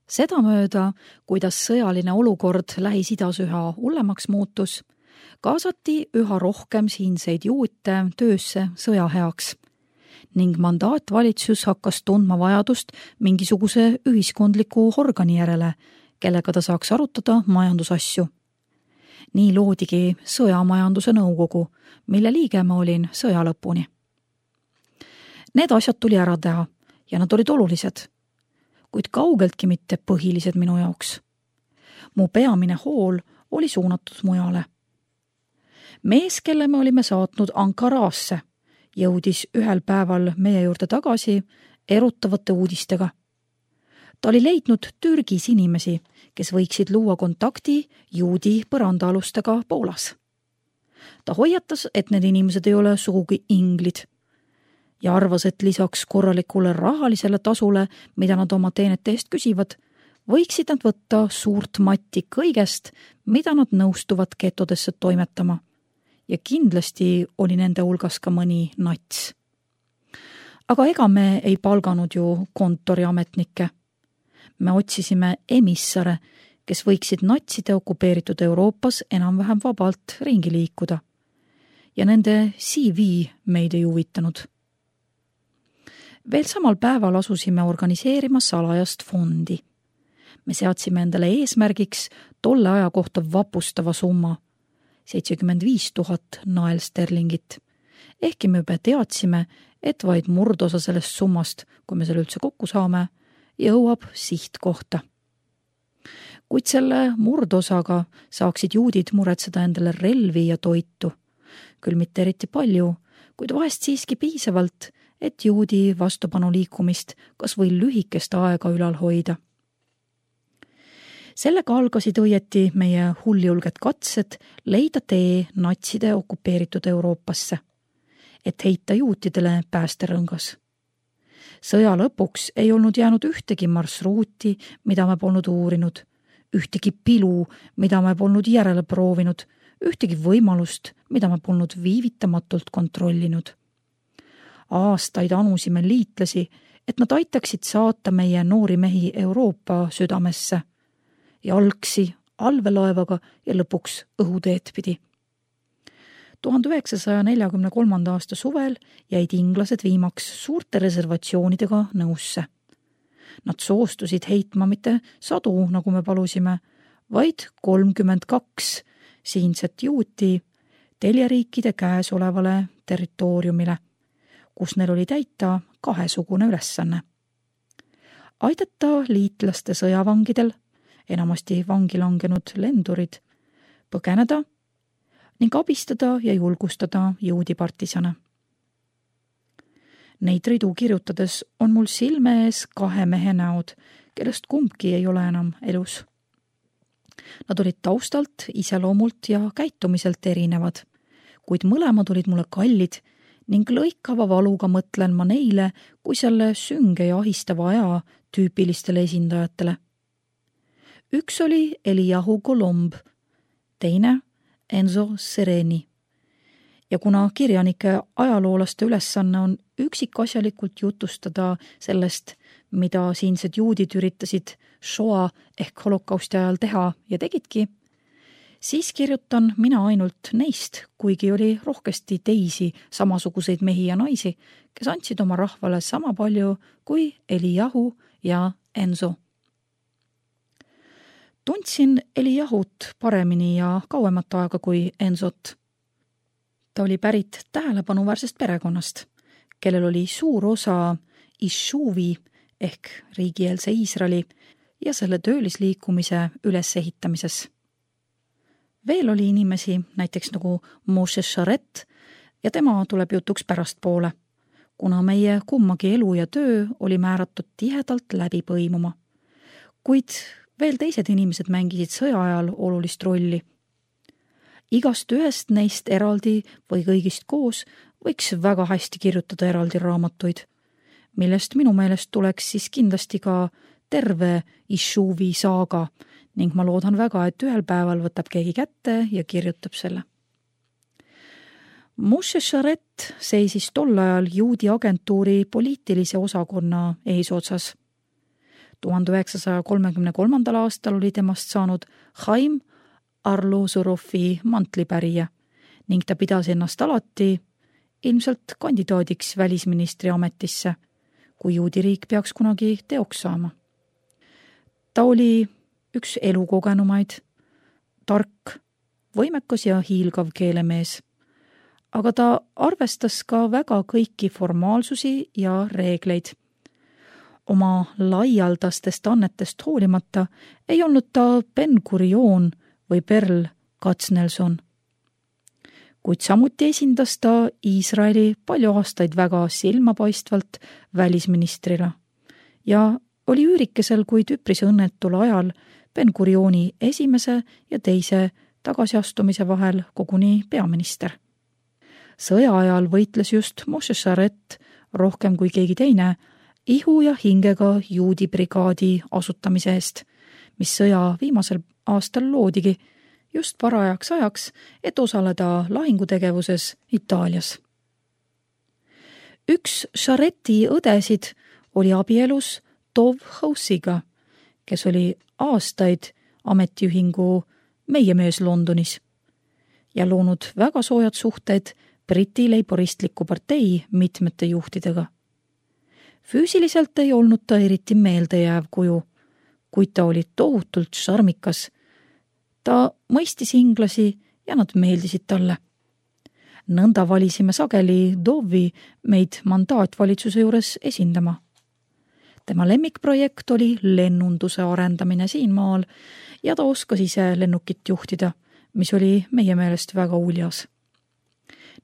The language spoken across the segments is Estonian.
Sedamööda, kuidas sõjaline olukord Lähis-Idas üha hullemaks muutus, kaasati üha rohkem siinseid juute töösse sõja heaks ning mandaatvalitsus hakkas tundma vajadust mingisuguse ühiskondliku organi järele, kellega ta saaks arutada majandusasju. Nii loodigi sõjamajanduse nõukogu, mille liige ma olin sõja lõpuni. Need asjad tuli ära teha ja nad olid olulised, kuid kaugeltki mitte põhilised minu jaoks. Mu peamine hool oli suunatud mujale. Mees, kelle me olime saatnud Ankaraasse, jõudis ühel päeval meie juurde tagasi erutavate uudistega. Ta oli leidnud Türgis inimesi, kes võiksid luua kontakti juudi põrandaalustega Poolas. Ta hoiatas, et need inimesed ei ole sugugi inglid ja arvas, et lisaks korralikule rahalisele tasule, mida nad oma teenete eest küsivad, võiksid nad võtta suurt matti kõigest, mida nad nõustuvad getodesse toimetama. Ja kindlasti oli nende hulgas ka mõni nats. Aga ega me ei palganud ju kontoriametnikke. Me otsisime emissare, kes võiksid natside okupeeritud Euroopas enam-vähem vabalt ringi liikuda. Ja nende CV meid ei huvitanud. Veel samal päeval asusime organiseerima salajast fondi. Me seadsime endale eesmärgiks tolle aja kohta vapustava summa, 75 000 naelsterlingit. Ehkki me juba teadsime, et vaid murdosa sellest summast, kui me selle üldse kokku saame, jõuab sihtkohta. Kuid selle murdosaga saaksid juudid muretseda endale relvi ja toitu. Küll mitte eriti palju, kuid vahest siiski piisavalt, et juudi vastupanu liikumist kas või lühikest aega ülal hoida. Sellega algasid õieti meie hulljulged katsed leida tee natside okupeeritud Euroopasse, et heita juutidele päästerõngas. Sõja lõpuks ei olnud jäänud ühtegi marsruuti, mida me polnud uurinud, ühtegi pilu, mida me polnud järele proovinud, ühtegi võimalust, mida me polnud viivitamatult kontrollinud. Aastaid anusime liitlasi, et nad aitaksid saata meie noori mehi Euroopa südamesse, jalgsi, allveelaevaga ja lõpuks õhuteed pidi. 1943. aasta suvel jäid inglased viimaks suurte reservatsioonidega nõusse. Nad soostusid heitma mitte 100, nagu me palusime, vaid 32 siinset juuti teljeriikide käes olevale territooriumile, kus neil oli täita kahesugune ülesanne. Aidata liitlaste sõjavangidel, enamasti vangi langenud lendurid, põgeneda ning abistada ja julgustada juudipartisane. Neid ridu kirjutades on mul silme ees 2 mehe näod, kellest kumbki ei ole enam elus. Nad olid taustalt, iseloomult ja käitumiselt erinevad, kuid mõlemad olid mulle kallid ning lõikava valuga mõtlen ma neile kui selle sünge ja ahistava aja tüüpilistele esindajatele. Üks oli Eliyahu Golomb, teine Enzo Sereni. Ja kuna kirjanike ajaloolaste ülesanne on üksikasjalikult jutustada sellest, mida siinsed juudid üritasid Shoa ehk holokausti ajal teha ja tegidki, siis kirjutan mina ainult neist, kuigi oli rohkesti teisi samasuguseid mehi ja naisi, kes andsid oma rahvale sama palju kui Eliyahu ja Enzo. Tundsin Eliyahut paremini ja kauemat aega kui Enzot. Ta oli pärit tähelepanuväärsest perekonnast, kellel oli suur osa Ishuvi ehk riigieelse Iisraeli ja selle töölisliikumise ülesehitamises. Veel oli inimesi, näiteks nagu Moshe Sharet, ja tema tuleb jutuks pärastpoole, kuna meie kummagi elu ja töö oli määratud tihedalt läbi põimuma. Kuid veel teised inimesed mängisid sõja ajal olulist rolli. Igast ühest neist eraldi või kõigist koos võiks väga hästi kirjutada eraldi raamatuid, millest minu meelest tuleks siis kindlasti ka terve Ishuvi saaga ning ma loodan väga, et ühel päeval võtab keegi kätte ja kirjutab selle. Moshe Sharet seisis tol ajal juudi agentuuri poliitilise osakonna eesotsas. 1933. aastal oli temast saanud Chaim Arlusurovi mantlipärija ning ta pidas ennast alati ilmselt kandidaadiks välisministri ametisse, kui juudi riik peaks kunagi teoks saama. Ta oli üks elukogenumaid, tark, võimekas ja hiilgav keelemees, aga ta arvestas ka väga kõiki formaalsusi ja reegleid. Oma laialdastest annetest hoolimata ei olnud ta Ben-Gurion või Perl Katznelson. Kuid samuti esindas ta Iisraeli palju aastaid väga silmapaistvalt välisministrina ja oli üürikesel, kuid üpris õnnetul ajal Ben-Gurioni esimese ja teise tagasiastumise vahel koguni peaminister. Sõja ajal võitles just Moshe Sharet rohkem kui keegi teine ihu ja hingega juudi brigaadi asutamise eest, mis sõja viimasel aastal loodigi just parajaks ajaks, et osaleda lahingutegevuses Itaalias. Üks Shareti õdesid oli abielus Tov Housiga, kes oli aastaid ametiühingu Meie mees Londonis ja loonud väga soojad suhted Briti leiboristliku partei mitmete juhtidega. Füüsiliselt ei olnud ta eriti meeldejääv kuju, kuid ta oli tohutult šarmikas. Ta mõistis inglasi ja nad meeldisid talle. Nõnda valisime sageli Dovi meid mandaatvalitsuse juures esindama. Tema lemmikprojekt oli lennunduse arendamine siin maal ja ta oskas ise lennukit juhtida, mis oli meie meelest väga uljas.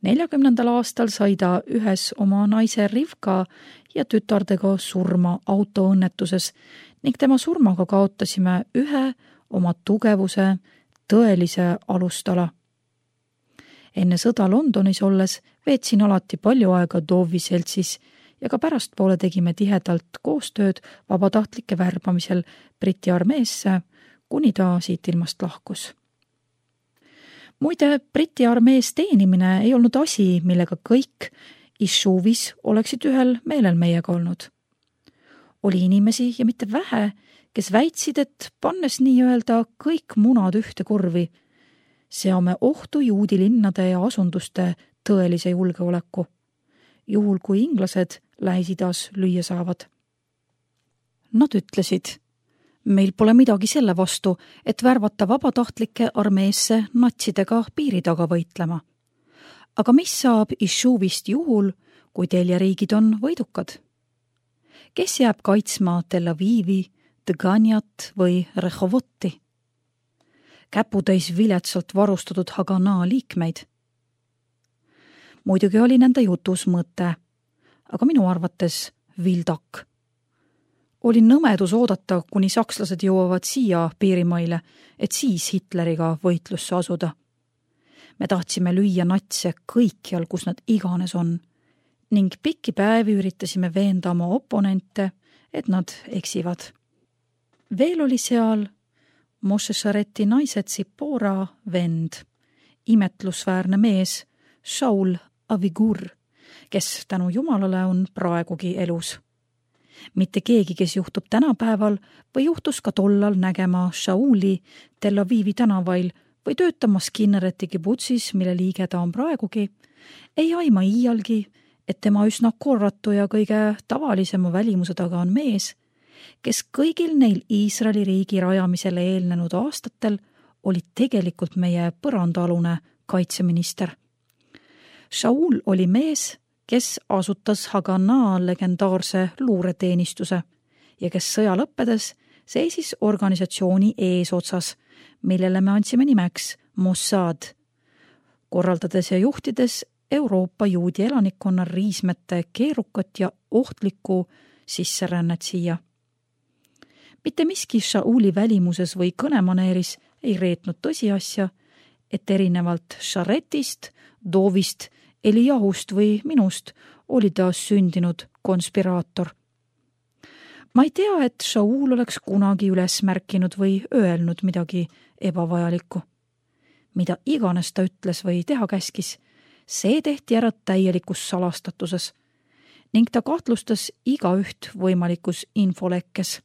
40. aastal sai ta ühes oma naise Rivka ja tütardega surma autoõnnetuses ning tema surmaga kaotasime ühe oma tugevuse tõelise alustala. Enne sõda Londonis olles veetsin alati palju aega Dovi seltsis ja ka pärastpoole tegime tihedalt koostööd vabatahtlike värbamisel Briti armeesse, kuni ta siit ilmast lahkus. Muide, Briti armees teenimine ei olnud asi, millega kõik Ishuvis oleksid ühel meelel meiega olnud. Oli inimesi ja mitte vähe, kes väitsid, et pannes nii-öelda kõik munad ühte korvi, seame ohtu juudi linnade ja asunduste tõelise julgeoleku, juhul kui inglased Lähis-Idas lüüa saavad. Nad ütlesid, meil pole midagi selle vastu, et värvata vabatahtlike armeesse natsidega piiri taga võitlema. Aga mis saab Ishuvist juhul, kui teljeriigid on võidukad? Kes jääb kaitsma Tel Avivi, Dganjat või Rehovoti? Käputäis viletsalt varustatud Haganaa liikmeid. Muidugi oli nende jutus mõte, aga minu arvates vildak. Oli nõmedus oodata, kuni sakslased jõuavad siia piirimaile, et siis Hitleriga võitlusse asuda. Me tahtsime lüüa natse kõikjal, kus nad iganes on, ning pikki päevi üritasime veenda oma oponente, et nad eksivad. Veel oli seal Moshe Shareti naise Tsipora vend, imetlusväärne mees Shaul Avigur, kes tänu Jumalale on praegugi elus. Mitte keegi, kes juhtub tänapäeval või juhtus ka tollal nägema Shauli Tel Avivi tänavail või töötamas Kinnereti kibutsis, mille liige ta on praegugi, ei aima iialgi, et tema üsna korratu ja kõige tavalisema välimuse taga on mees, kes kõigil neil Iisraeli riigi rajamisele eelnenud aastatel oli tegelikult meie põrandaalune kaitseminister. Shaul oli mees, kes asutas Haganaa legendaarse luureteenistuse ja kes sõja lõppedes seisis organisatsiooni eesotsas, millele me andsime nimeks Mossad, korraldades ja juhtides Euroopa juudi elanikkonna riismete keerukat ja ohtlikku sisserännet siia. Mitte miski Shauli välimuses või kõnemaneeris ei reetnud tõsiasja, et erinevalt Sharetist, Dovist, Elijahust või minust oli ta sündinud konspiraator. Ma ei tea, et Shaul oleks kunagi üles märkinud või öelnud midagi ebavajalikku. Mida iganes ta ütles või teha käskis, see tehti ära täielikus salastatuses ning ta kahtlustas igaüht võimalikus infolekkes.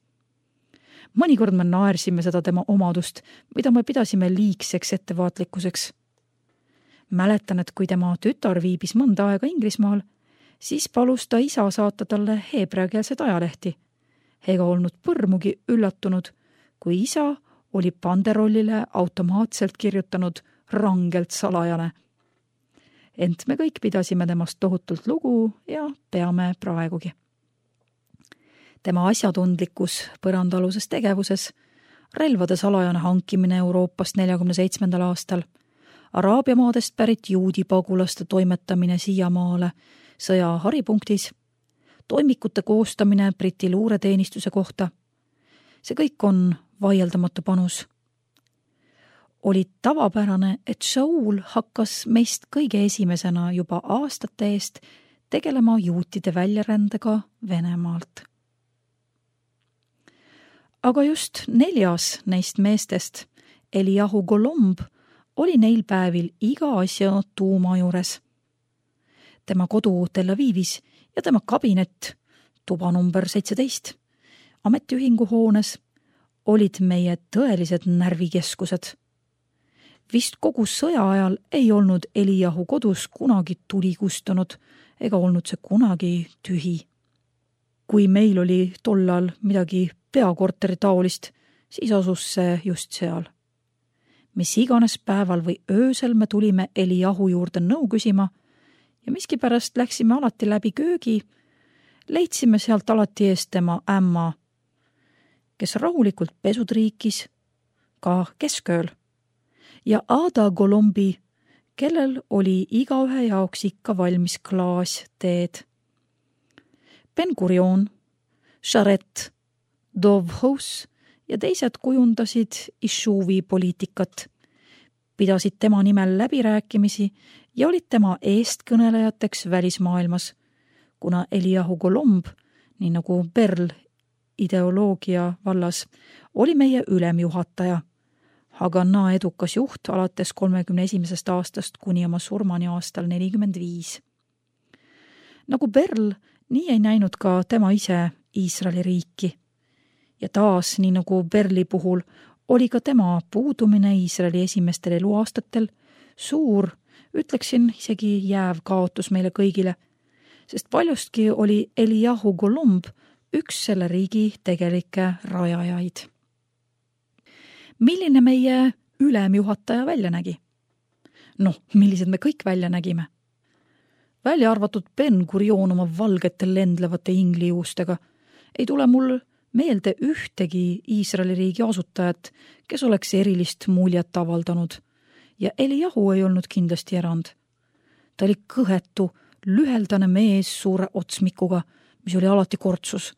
Mõnikord me naersime seda tema omadust, mida me pidasime liigseks ettevaatlikkuseks. Mäletan, et kui tema tütar viibis mõnda aega Inglismaal, siis palus ta isa saata talle heebreakeelset ajalehti. Ega olnud põrmugi üllatunud, kui isa oli panderollile automaatselt kirjutanud rangelt salajane. Ent me kõik pidasime temast tohutult lugu ja peame praegugi. Tema asjatundlikkus põrandaluses tegevuses, relvade salajane hankimine Euroopast 47. aastal, Araabia maadest pärit juudi pagulaste toimetamine siiamaale sõja haripunktis, toimikute koostamine Briti luureteenistuse kohta. See kõik on vaieldamatu panus. Oli tavapärane, et Shaul hakkas meist kõige esimesena juba aastate eest tegelema juutide väljarändega Venemaalt. Aga just 4. neist meestest, Eliyahu Golomb, oli neil päevil iga asja tuuma juures. Tema kodu Tel Avivis ja tema kabinet, tuba number 17, ametiühingu hoones, olid meie tõelised närvikeskused. Vist kogu sõja ajal ei olnud Eliyahu kodus kunagi tuli kustunud ega olnud see kunagi tühi. Kui meil oli tollal midagi peakorteri taolist, siis asus see just seal. Mis iganes päeval või öösel me tulime Eliyahu juurde nõu küsima ja miskipärast läksime alati läbi köögi, leidsime sealt alati eest tema ämma, kes rahulikult pesud riikis, ka keskööl, ja Ada Golombi, kellel oli igaühe jaoks ikka valmis klaas teed. Ben-Gurion, Sharet, Dovhous ja teised kujundasid Ishuvi poliitikat, pidasid tema nimel läbirääkimisi ja olid tema eestkõnelejateks välismaailmas, kuna Eliyahu Golomb, nii nagu Berl ideoloogia vallas, oli meie ülemjuhataja. Haganah edukas juht alates 31. aastast kuni oma surmani aastal 45. Nagu Berl, nii ei näinud ka tema ise Iisraeli riiki. Ja taas, nii nagu Berli puhul, oli ka tema puudumine Iisraeli esimestel eluaastatel suur, ütleksin isegi jääv kaotus meile kõigile, sest paljustki oli Eliyahu Golomb üks selle riigi tegelikke rajajaid. Milline meie ülemjuhataja välja nägi? Millised me kõik välja nägime? Välja arvatud Ben-Gurion oma valgete lendlevate inglijuustega ei tule mul meelde ühtegi Iisraeli riigi asutajat, kes oleks erilist muljet avaldanud, ja Eliyahu ei olnud kindlasti erand. Ta oli kõhetu, lüheldane mees suure otsmikuga, mis oli alati kortsus,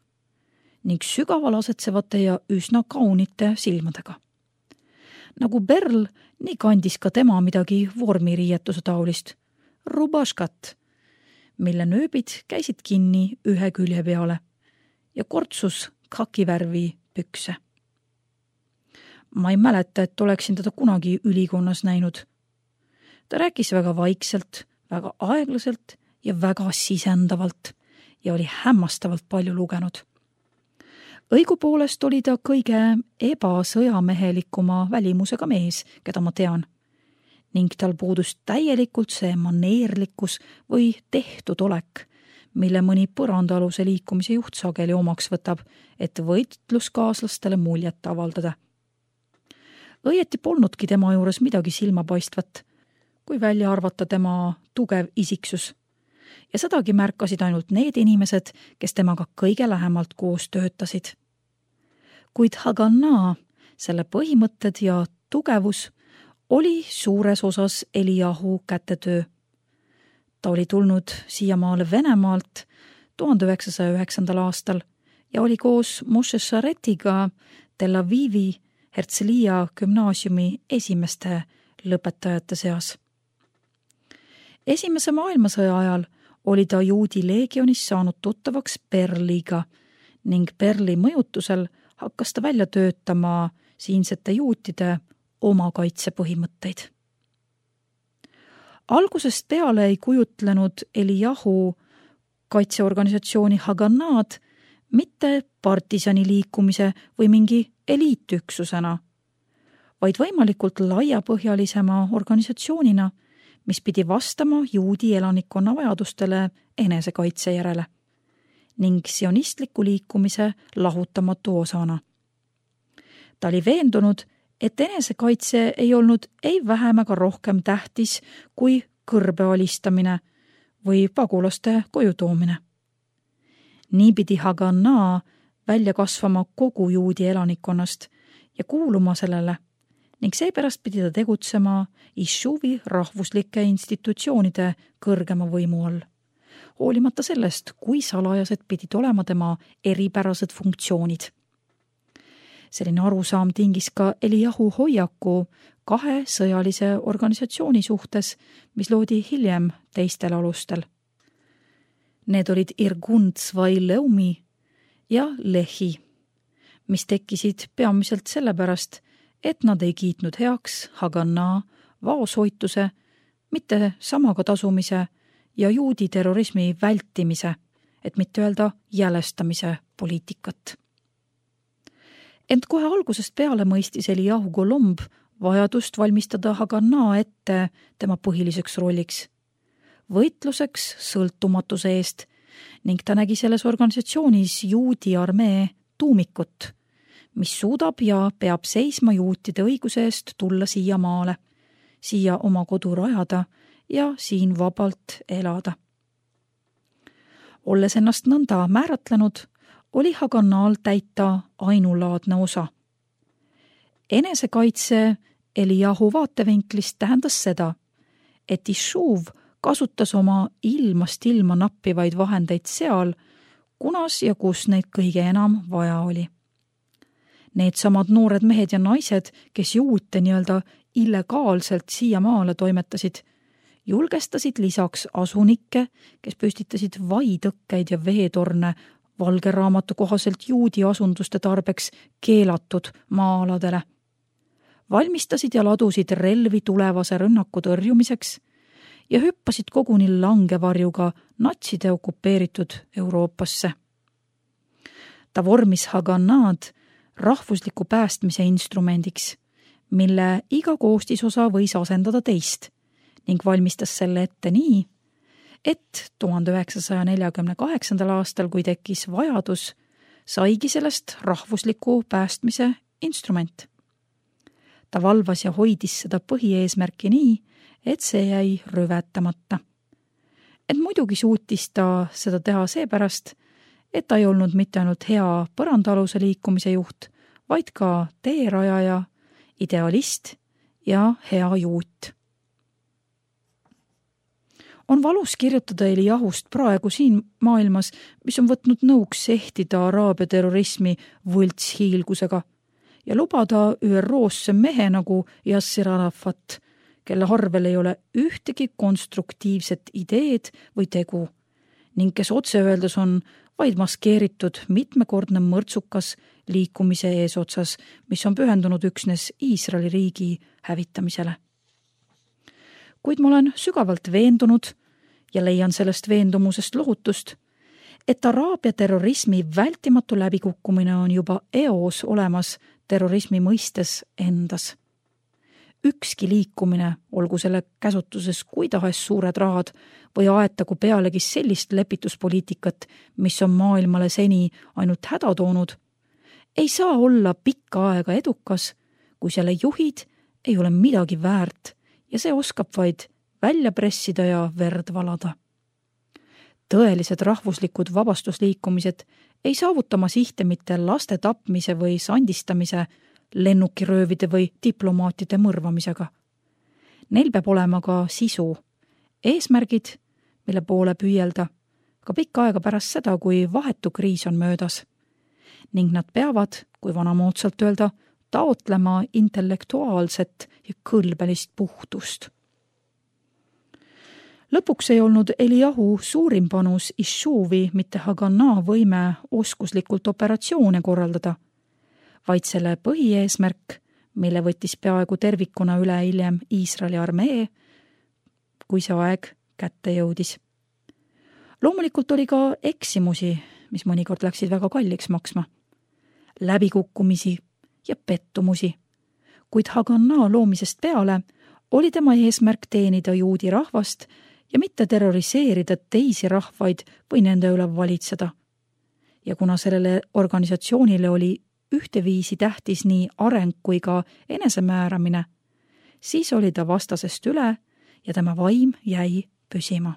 ning sügaval asetsevate ja üsna kaunite silmadega. Nagu Berl, nii kandis ka tema midagi vormiriietuse taolist, rubaškat, mille nööbid käisid kinni ühe külje peale ja kortsus kakivärvi pükse. Ma ei mäleta, et oleksin teda kunagi ülikonnas näinud. Ta rääkis väga vaikselt, väga aeglaselt ja väga sisendavalt ja oli hämmastavalt palju lugenud. Õigupoolest oli ta kõige ebasõjamehelikuma välimusega mees, keda ma tean, ning tal puudus täielikult see maneerlikkus või tehtud olek, mille mõni põrandaaluse liikumise juht sageli omaks võtab, et võitluskaaslastele muljet avaldada. Õieti polnudki tema juures midagi silmapaistvat, kui välja arvata tema tugev isiksus. Ja sedagi märkasid ainult need inimesed, kes temaga kõige lähemalt koos töötasid. Kuid Haganah, selle põhimõtted ja tugevus oli suures osas Eliyahu kätetöö. Ta oli tulnud siiamaale Venemaalt 1909. aastal ja oli koos Moshe Sharetiga Tel Avivi Herzliya gümnaasiumi esimeste lõpetajate seas. Esimese maailmasõja ajal oli ta juudi leegionis saanud tuttavaks Berliga ning Berli mõjutusel hakkas ta välja töötama siinsete juutide oma kaitsepõhimõtteid. Algusest peale ei kujutlenud Eliyahu kaitseorganisatsiooni Haganah'd mitte partisani liikumise või mingi eliitüksusena, vaid võimalikult laiapõhjalisema organisatsioonina, mis pidi vastama juudi elanikkonna vajadustele enesekaitse järele ning sionistliku liikumise lahutamatu osana. Ta oli veendunud, et enesekaitse ei olnud ei vähem ega rohkem tähtis kui kõrbe alistamine või pagulaste koju toomine. Nii pidi Haganah välja kasvama kogu juudi elanikkonnast ja kuuluma sellele ning seepärast pidi ta tegutsema Yishuvi rahvuslike institutsioonide kõrgema võimu all, hoolimata sellest, kui salajased pidid olema tema eripärased funktsioonid. Selline arusaam tingis ka Eliyahu hoiaku kahe sõjalise organisatsiooni suhtes, mis loodi hiljem teistel alustel. Need olid Irgun Tzvai Leumi ja Lehi, mis tekkisid peamiselt sellepärast, et nad ei kiitnud heaks Haganah vaoshoituse, mitte samaga tasumise ja juudi terrorismi vältimise, et mitte öelda jälestamise poliitikat. Ent kohe algusest peale mõistis Eliyahu Golomb vajadust valmistada Haganah ette tema põhiliseks rolliks, võitluseks sõltumatuse eest ning ta nägi selles organisatsioonis juudi armee tuumikut, mis suudab ja peab seisma juutide õiguse eest tulla siia maale, siia oma kodu rajada ja siin vabalt elada. Olles ennast nõnda määratlenud, oli Haganah'l täita ainulaadne osa. Enesekaitse Eliyahu vaatevinklist tähendas seda, et Yishuv kasutas oma ilmast ilma nappivaid vahendeid seal, kunas ja kus neid kõige enam vaja oli. Needsamad noored mehed ja naised, kes juute nii-öelda illegaalselt siia maale toimetasid, julgestasid lisaks asunikke, kes püstitasid vaitõkkeid ja veetorne valge raamatu kohaselt juudi asunduste tarbeks keelatud maa-aladele. Valmistasid ja ladusid relvi tulevase rünnaku tõrjumiseks ja hüppasid koguni langevarjuga natside okupeeritud Euroopasse. Ta vormis Haganah'd rahvusliku päästmise instrumendiks, mille iga koostisosa võis asendada teist ning valmistas selle ette nii, et 1948. aastal, kui tekkis vajadus, saigi sellest rahvusliku päästmise instrument. Ta valvas ja hoidis seda põhieesmärki nii, et see jäi rüvetamata. Et muidugi suutis ta seda teha seepärast, et ta ei olnud mitte ainult hea põrandaaluse liikumise juht, vaid ka teerajaja, idealist ja hea juut. On valus kirjutada Eliyahust praegu siin maailmas, mis on võtnud nõuks sehtida araabia terrorismi võltshiilgusega ja lubada ÜRO-sse mehe nagu Yasser Arafat, kelle harvel ei ole ühtegi konstruktiivset ideed või tegu ning kes otse öeldes on vaid maskeeritud mitmekordne mõrtsukas liikumise eesotsas, mis on pühendunud üksnes Iisraeli riigi hävitamisele. Kuid ma olen sügavalt veendunud ja leian sellest veendumusest lohutust, et araabia terrorismi vältimatu läbikukkumine on juba eos olemas terrorismi mõistes endas. Ükski liikumine, olgu selle käsutuses kui tahes suured rahad või aetagu pealegi sellist lepituspoliitikat, mis on maailmale seni ainult häda toonud, ei saa olla pikka aega edukas, kui selle juhid ei ole midagi väärt ja see oskab vaid välja pressida ja verd valada. Tõelised rahvuslikud vabastusliikumised ei saavutama sihte mitte laste tapmise või sandistamise, lennukiröövide või diplomaatide mõrvamisega. Neil peab olema ka sisu, eesmärgid, mille poole püüelda, ka pikka aega pärast seda, kui vahetu kriis on möödas. Ning nad peavad, kui vanamoodsalt öelda, taotlema intellektuaalset ja kõlbelist puhtust. Lõpuks ei olnud Eliyahu suurim panus Yishuvi mitte Haganah võime oskuslikult operatsioone korraldada, vaid selle põhieesmärk, mille võttis peaaegu tervikuna üle hiljem Iisraeli armee, kui see aeg kätte jõudis. Loomulikult oli ka eksimusi, mis mõnikord läksid väga kalliks maksma, läbikukkumisi ja pettumusi. Kuid Haganah loomisest peale oli tema eesmärk teenida juudi rahvast ja mitte terroriseerida teisi rahvaid või nende üle valitseda. Ja kuna sellele organisatsioonile oli ühteviisi tähtis nii areng kui ka enesemääramine, siis oli ta vastasest üle ja tema vaim jäi püsima.